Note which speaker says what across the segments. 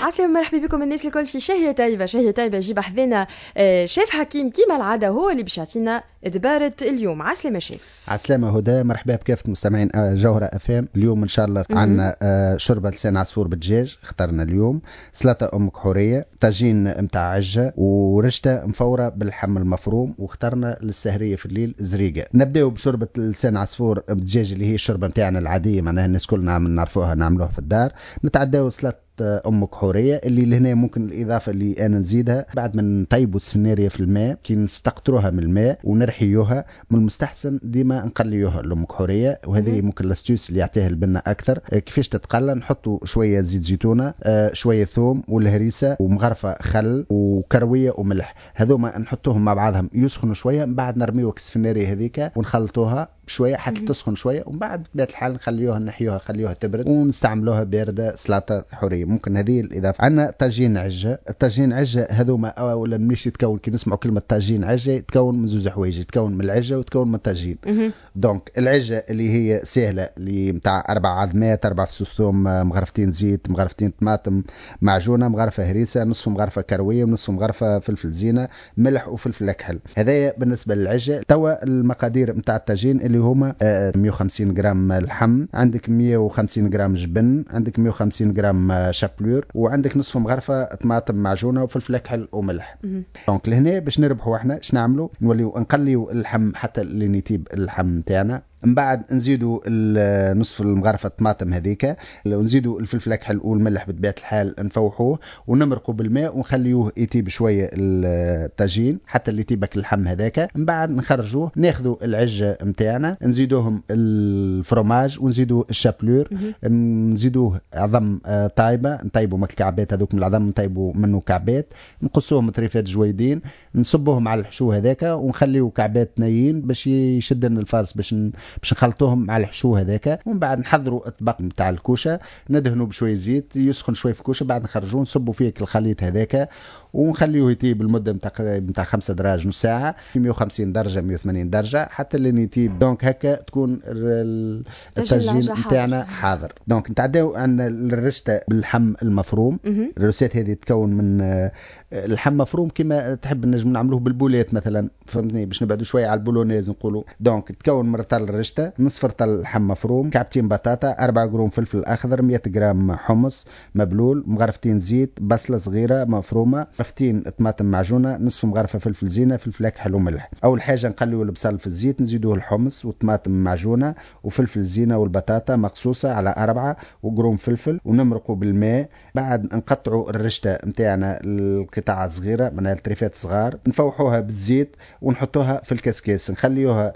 Speaker 1: عسلامة، مرحبا بكم الناس الكل في شهية طيبة. شهية طيبة يجيب حذانا شيف حكيم كيما العادة، هو اللي باش يعطينا دبارة اليوم. عسلامة شيف.
Speaker 2: عسلامة هدى، مرحبا بكافة مستمعين جوهرة FM. اليوم ان شاء الله عندنا شوربة لسان عصفور بالدجاج اخترنا اليوم، سلطة امك حورية، طاجين متاع عجة، ورشتة مفورة باللحم المفروم، واخترنا للسهرية في الليل زريقة. نبداو بشوربة لسان عصفور بالدجاج اللي هي الشوربة نتاعنا العادية، معناها الناس كلنا نعرفوها نعملوها في الدار. نتعداو سلطة امك حورية اللي لهنا ممكن الاضافة اللي انا نزيدها بعد ما نطيبوا السفناريه في الماء، كي نستقطروها من الماء ونرحيوها، من المستحسن ديما نقليوها الامك حوريه، وهذه ممكن l'astuce اللي يعطيها البنه اكثر. كيفاش تتقلى؟ نحطوا شوية زيت زيتونه، شوية ثوم والهريسه ومغرفه خل وكرويه وملح، هذوما نحطوهم مع بعضهم يسخنوا شويه، من بعد نرميو السفناريه هذيك ونخلطوها شوية حتى تسخن شويه، ومن بعد بطبيعة الحال نخليوها نحيوها خليوها تبرد ونستعملوها باردة سلطة حوريه. ممكن هذه الاضافة. عندنا طاجين عجه. الطاجين عجة هذوما اولا مش يتكون، كي نسمعوا كلمة طاجين عجة يتكون من زوج حوايج، يتكون من العجه ويتكون من الطاجين. donc العجه اللي هي سهله، اللي نتاع اربع عظمات، اربع فصوص ثوم، مغرفتين زيت، مغرفتين طماطم معجونه، مغرفه هريسه، نصف مغرفه كروية ونصف مغرفه فلفل زينه، ملح وفلفل اكحل. هذايا بالنسبة للعجه. توا المقادير نتاع الطاجين اللي هما 150 غرام لحم، عندك 150 غرام جبن، عندك 150 غرام chapelure، وعندك نصف مغرفه طماطم معجونه وفلفل اكحل وملح. donc لهنا باش نربحوا احنا اش نعملوا؟ نوليو نقليو اللحم حتى اللي يطيب اللحم نتاعنا، من بعد نزيدوا نصف المغرفه الطماطم هذيك، ونزيدوا الفلفل الاكحل والملح بطبيعة الحال، نفوحوه ونمرقوا بالماء ونخليوه يطيب شوية الطاجين حتى اللي يطيبك اللحم هذاك. من بعد نخرجوه، ناخذوا العجه نتاعنا، نزيدوهم الفروماج ونزيدوا ال chapelure، نزيدوه عظم طايبه، نطيبوا ماك الكعبات هذوك من العظم، نطيبوا منه كعبات، نقصوهم طريفات جويدين، نصبوهم على الحشو هذاك ونخليو كعبات نايين باش يشد لنا ال farce باش نخلطوهم مع الحشو هذاك. ومن بعد نحضروا الطبق نتاع الكوشة، ندهنوا بشوية زيت، يسخن شوية في الكوشة، بعد نخرجوه نصبوا فيه الخليط هذاك ونخليه يطيب المدة نتاع 5 دراج، نص ساعه، في 150 درجه، 180 درجه حتى اللي يطيب. donc هكا تكون الطاجين نتاعنا حاضر. donc نتعداو عن الرشته باللحم المفروم. ال recette هذه تكون من اللحم مفروم كما تحب، نجم نعملوه بال boulettes مثلا، فهمتني، باش نبعدوا شوية على ال bolognaise نقولوا. donc تكون من رطل الرشته، نصف رطل لحم مفروم، كعبتين بطاطا، 4 قرون فلفل اخضر، 100 غرام حمص مبلول، مغرفتين زيت، بصله صغيرة مفرومه، مغرفتين طماطم معجونه، نصف مغرفه فلفل زينه، فلفل اكحل وملح. اول حاجة نقليو البصل في الزيت، نزيدوه الحمص والطماطم معجونه وفلفل زينة والبطاطا مقصوصة على 4 وقرون فلفل، ونمرقوا بالماء. بعد نقطعوا الرشته نتاعنا القطع صغيره، من التريفات صغار، نفوحوها بالزيت ونحطوها في الكسكاس، نخليوها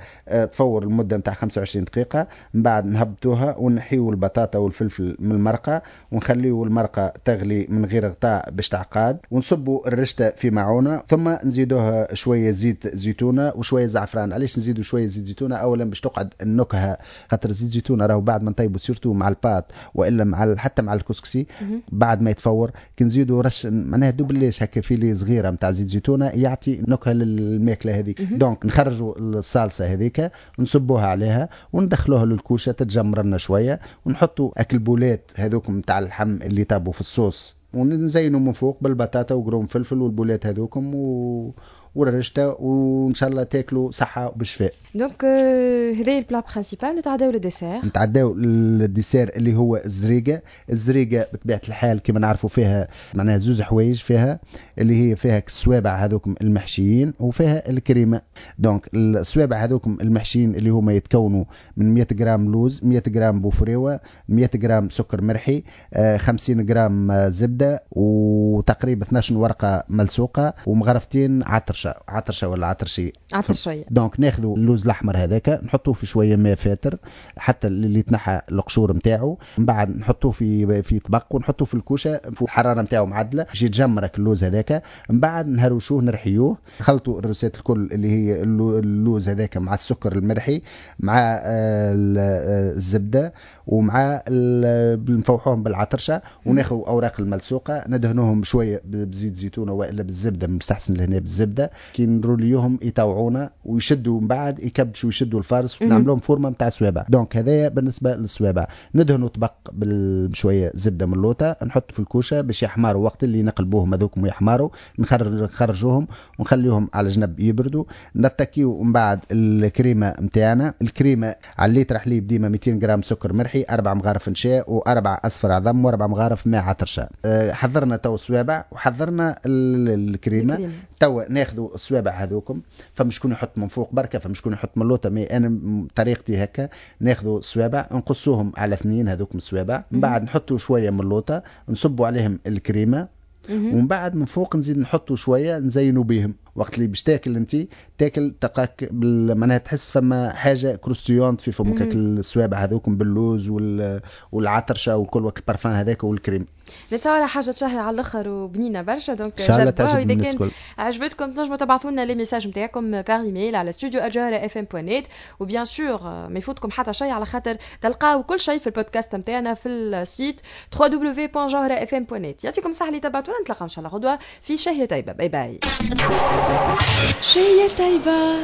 Speaker 2: تفور المدة نتاع 25 دقيقه. من بعد نهبطوها ونحيو البطاطا والفلفل من المرقه، ونخليو المرقه تغلي من غير غطاء باش تعقاد، ونصبوا الرشته في معونه، ثم نزيدوها شوية زيت زيتونه وشوية زعفران. علاش نزيدوا شوية زيت زيتونه؟ اولا باش تقعد النكهه، خاطر زيت زيتونه راهو بعد ما نطيبوا surtout مع ال pâtes والا مع حتى مع الكسكسي بعد ما يتفور، كي نزيدوا رش معناها دوبليش هكا filet صغيرة نتاع زيت زيتونه يعطي نكهة للماكله هذيك. donc نخرجوا الصالصه هذيك نصبوها عليها وندخلوها للكوشه تتجمر لنا شويه، ونحطوا اك ال boulettes هذوك نتاع اللحم اللي طابوا في الصوص، ونزينوا من فوق بالبطاطا وقرون فلفل وال boulettes هذوكم والرشته، وان شاء الله تاكلوا صحة وبشفاء.
Speaker 1: donc هذا ال plat principal. نتعداو لل dessert.
Speaker 2: نتعداو لل dessert اللي هو الزريقه. الزريقه بطبيعة الحال كما نعرفوا فيها معناها زوز حوايج، فيها اللي هي فيها السوابع هذوكم المحشيين وفيها الكريمة. donc السوابع هذوكم المحشيين اللي هما يتكونوا من 100 غرام لوز، 100 غرام بوفريوه، 100 غرام سكر مرحي، 50 غرام زبدة، وتقريبا 12 ورقة ملسوقه، ومغرفتين عطرشه، عطرشه ولا عطرشيه؟
Speaker 1: عطرشيه.
Speaker 2: donc ناخذوا اللوز الاحمر هذاك نحطوه في شوية ماء فاتر حتى اللي يتنحى القشور نتاعو، من بعد نحطوه في طبق ونحطوه في الكوشة في الحرارة نتاعو معدله باش يتجمرك اللوز هذاك. من بعد نهروشوه نرحيوه، نخلطوا ال recette الكل اللي هي اللوز هذاك مع السكر المرحي مع الزبدة ومع نفوحوهم بالعطرشه، وناخذ اوراق الملسوقه ندهنوهم شوية بزيت زيتونه والا بالزبده، مستحسن لهنا بالزبده. كي نروليوهم يطوعونا ويشدوا من بعد يكبشوا يشدوا ال farce، نعملوهم forme نتاع صوابع. donc هذايا بالنسبة للصوابع. ندهنوا طبق بشوية زبدة من اللوطه، نحط في الكوشة باش يحمروا. وقت اللي نقلبوهم هذوكم ويحمروا نخرجوهم ونخليهم على جنب يبردوا. نتكيو من بعد الكريمة نتاعنا. الكريمة على الليتر حليب ديما 200 غرام سكر مرحي، 4 مغارف نشاء، و4 اصفر عظم، و4 مغارف ماء عطرشه. حضرنا تو الصوابع وحضرنا الكريمة. تو ناخذوا الصوابع هذوكم، فما شكون يحط من فوق بركه، فما شكون يحط من اللوطه، mais انا طريقتي هكا. ناخذوا الصوابع نقصوهم على 2 هذوكم الصوابع، من بعد نحطوا شوية من اللوطه، نصبوا عليهم الكريمة، ومن بعد من فوق نزيد نحطوا شوية نزينوا بهم. وقت اللي باش تاكل انت تاكل تلقاك معناها تحس فما حاجة croustillante في فمك، الصوابع هذوكم باللوز والعطرشه وكل وقت البارفان هذاك والكريم.
Speaker 1: نتصور حاجة تشهي على الاخر وبنينه برشا. donc جربوها، واذا كان عجبتكم تنجموا تبعثوا لنا les messages نتاعكم par email على studio@jawharafm.net. و bien sûr ما يفوتكم حتى شيء، على خاطر تلقاو كل شيء في البودكاست نتاعنا في ال site www.jawharafm.net. يعطيكم الصحة اللي تبعتونا، نتلاقاو ان شاء الله غدوه في شهية طيبه. bye bye. شهية طيبه.